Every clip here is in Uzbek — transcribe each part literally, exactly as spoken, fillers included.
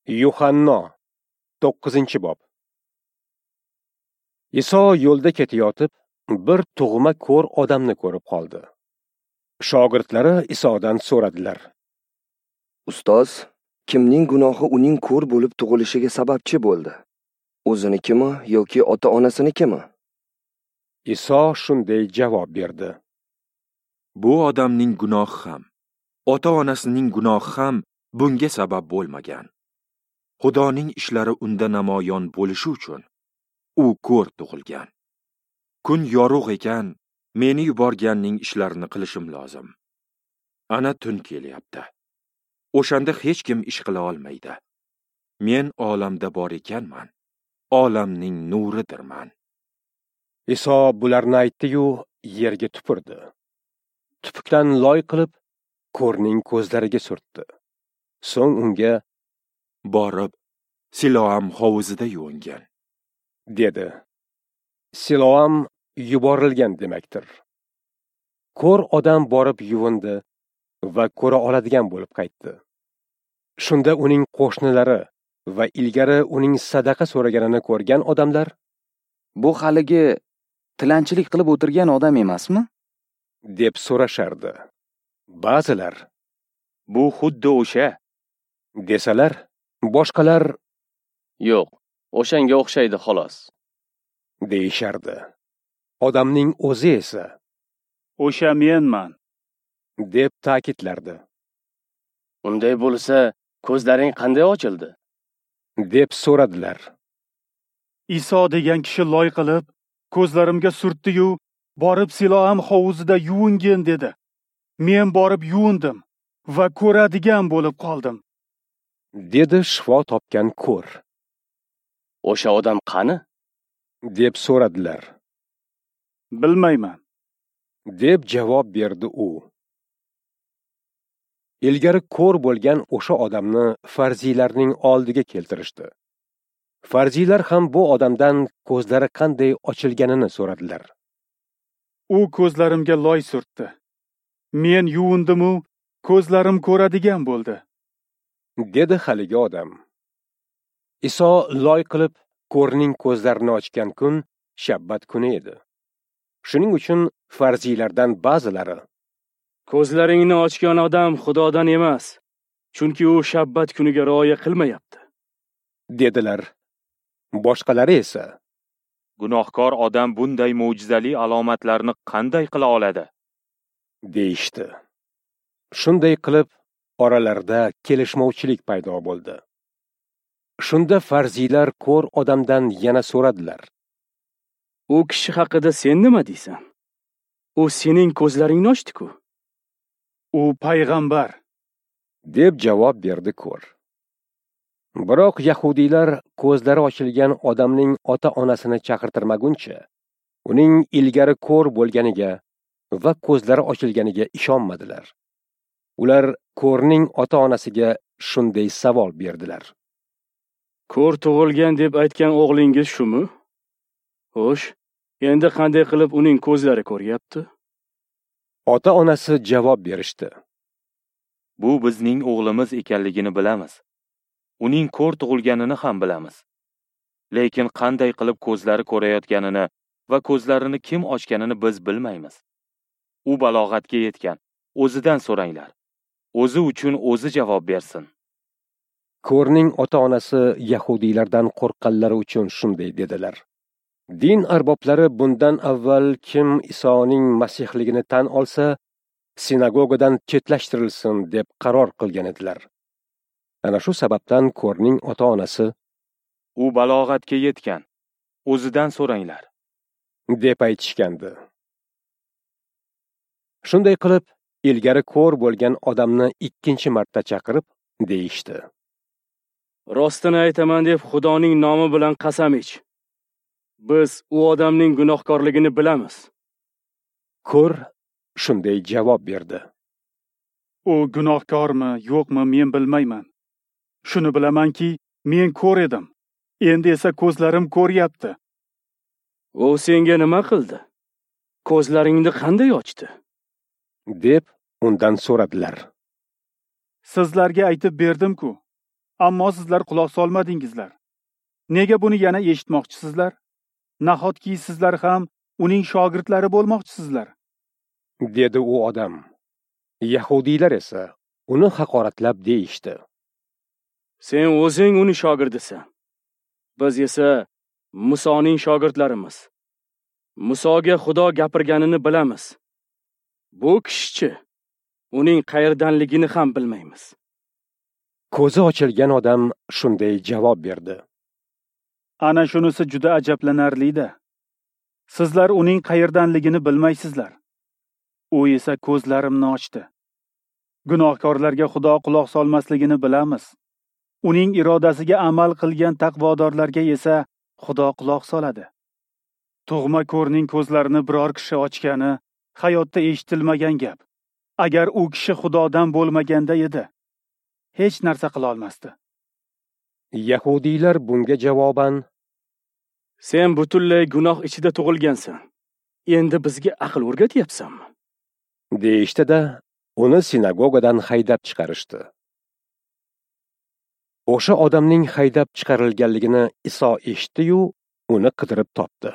Yuhanno to'qqizinchi bob. Iso yo'lda ketayotib, bir tug'ma ko'r odamni ko'rib qoldi. Shogirdlari Isodan so'radilar: Ustoz, kimning gunohi uning ko'r bo'lib tug'ilishiga sababchi bo'ldi? O'zinikimi yoki ota-onasinikimi? Iso shunday javob berdi: Bu odamning gunohi ham, ota-onasining gunohi ham bunga sabab bo'lmagan. Xudoning ishlari unda namoyon bo'lishi uchun u ko'r tug'ilgan. Kun yorug' ekan, meni yuborganning ishlarini qilishim lozim. Ana tun kelyapti. O'shanda hech kim ish qila olmaydi. Men olamda bor ekanman, olamning nuridirman. Iso bularni aytdi-yu, yerga tupurdi. Tupukdan loy qilib, ko'rning ko'zlariga surtdi. So'ng unga: Borib, Siloam hovuzida yuvingin, dedi. Siloam yuborilgan demakdir. Ko'r odam borib yuvindi va ko'ra oladigan bo'lib qaytdi. Shunda uning qo'shnilari va ilgari uning sadaqa so'raganini ko'rgan odamlar: Bu haligi tilanchilik qilib o'tirgan odam emasmi? deb so'rashardi. Ba'zilar: Bu xuddi o'sha, desalar, boshqalar: Yo'q, o'shanga o'xshaydi xolos, deyishardi. Odamning o'zi esa: O'sha menman, deb ta'kidlardi. Unday bo'lsa, ko'zlaring qanday ochildi? deb so'radilar. Iso degan kishi loy qilib, ko'zlarimga surtdi-yu, borib Siloam hovuzida yuvingin dedi. Men borib yuvindim va ko'radigan bo'lib qoldim, dedi shifo topgan ko'r. O'sha odam qani? deb so'radilar. Bilmayman, deb javob berdi u. Ilgari ko'r bo'lgan o'sha odamni farziylarning oldiga keltirishdi. Farziylar ham bu odamdan ko'zlari qanday ochilganini so'radilar. U ko'zlarimga loy surtdi. Men yuvindim-u, ko'zlarim ko'radigan bo'ldi, dedi haligi odam. Iso loy qilib ko'rning ko'zlarini ochgan kun shabbat kuni edi. Shuning uchun farziylardan ba'zilari: Ko'zlaringni ochgan odam Xudodan emas, chunki u shabbat kuniga rioya qilmayapti, dedilar. Boshqalari esa: Gunohkor odam bunday mo'jizali alomatlarni qanday qila oladi? deyishdi. Shunday qilib oralarida kelishmovchilik paydo bo'ldi. Shunda farziylar ko'r odamdan yana so'radilar: U kishi haqida sen nima deysan? U sening ko'zlaringni ochdi-ku. U payg'ambar, deb javob berdi ko'r. Biroq yahudiylar ko'zlari ochilgan odamning ota-onasini chaqirtirmaguncha, uning ilgari ko'r bo'lganiga va ko'zlari ochilganiga ishonmadilar. Ular ko'rning ota-onasiga shunday savol berdilar: Ko'r tug'ilgan deb aytgan o'g'lingiz shumi? Xo'sh, endi qanday qilib uning ko'zlari ko'ryapti? Ota-onasi javob berishdi: Bu bizning o'g'limiz ekanligini bilamiz. Uning ko'r tug'ilganini ham bilamiz. Lekin qanday qilib ko'zlari ko'rayotganini va ko'zlarini kim ochganini biz bilmaymiz. U balog'atga yetgan, o'zidan so'ranglar. O'zi uchun o'zi javob bersin. Ko'rning ota-onasi yahudiylardan qo'rqqanlari uchun shunday dedilar. Din arboblari bundan avval kim Isoning Masihligini tan olsa, sinagogadan chetlashtirilsin deb qaror qilgan edilar. Ana shu sababdan ko'rning ota-onasi: U balog'atga yetgan, o'zidan so'ranglar, deb aytishgandi. Shunday qilib, ilgari ko'r bo'lgan odamni ikkinchi marta chaqirib, deyishdi: Rostini aytaman deb Xudoning nomi bilan qasam ich. Biz u odamning gunohkorligini bilamiz. Ko'r shunday javob berdi: U gunohkormi, yo'qmi men bilmayman. Shuni bilamanki, men ko'r edim. Endi esa ko'zlarim ko'ryapti. U senga nima qildi? Ko'zlaringni qanday ochdi? deb undan so'radilar. Sizlarga aytib berdim-ku. Ammo sizlar quloq solmadingizlar. Nega buni yana eshitmoqchisizlar? Nahotki sizlar ham uning shogirdlari bo'lmoqchisizlar? Dedi u odam. Yahudiylar esa uni haqoratlab deyishdi: Sen o'zing uning shogirdisan. Biz esa Musoning shogirdlarimiz. Musoga Xudo gapirganini bilamiz. Bu kishichi, uning qayerdanligini ham bilmaymiz. Ko'zi ochilgan odam shunday javob berdi: Ana shunisi juda ajablanarli-da. Sizlar uning qayerdanligini bilmaysizlar. U esa ko'zlarimni ochdi. Gunohkorlarga Xudo quloq solmasligini bilamiz. Uning irodasiga amal qilgan taqvodorlarga esa Xudo quloq soladi. Tug'ma ko'rning ko'zlarini biror kishi ochgani hayotda eshitilmagan gap. Agar u kishi Xudodan bo'lmaganda edi, hech narsa qila olmasdi. Yahudiylar bunga javoban: Sen butunlay gunoh ichida tug'ilgansan. Endi bizga aql o'rgatyapsanmi? deyishdi-da, uni sinagogadan haydab chiqarishdi. O'sha odamning haydab chiqarilganligini Iso eshitdi-yu, uni qidirib topdi.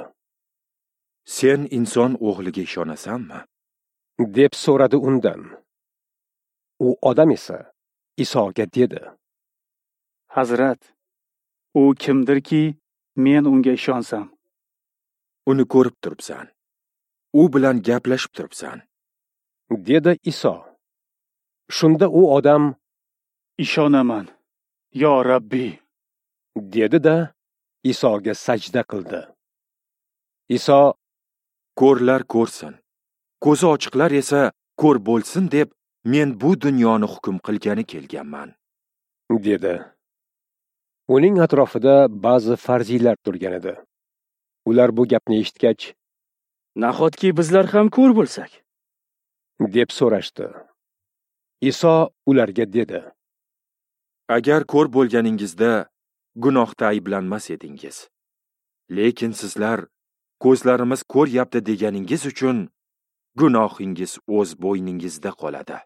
Sen inson o'g'liga ishonasanmi? Deb so'radi undan. U odam esa Isoga dedi: Hazrat, u kimdirki, men unga ishonsam? Uni ko'rib turibsan. U bilan gaplashib turibsan, dedi Iso. Shunda u odam: Ishonaman, yo Rabbi, dedi-da Isoga sajda qildi. Iso: Ko'rlar ko'rsin, ko'zi ochiqlar esa ko'r bo'lsin deb men bu dunyoni hukm qilgani kelganman, dedi. Uning atrofida ba'zi farziylar turgan edi. Ular bu gapni eshitgach, Nahotki bizlar ham ko'r bo'lsak? deb so'rashdi. Iso ularga dedi: Agar ko'r bo'lganingizda gunohda ayblanmas edingiz. Lekin sizlar ko'zlarimiz ko'ryapti deganingiz uchun gunohingiz o'z bo'yningizda qoladi.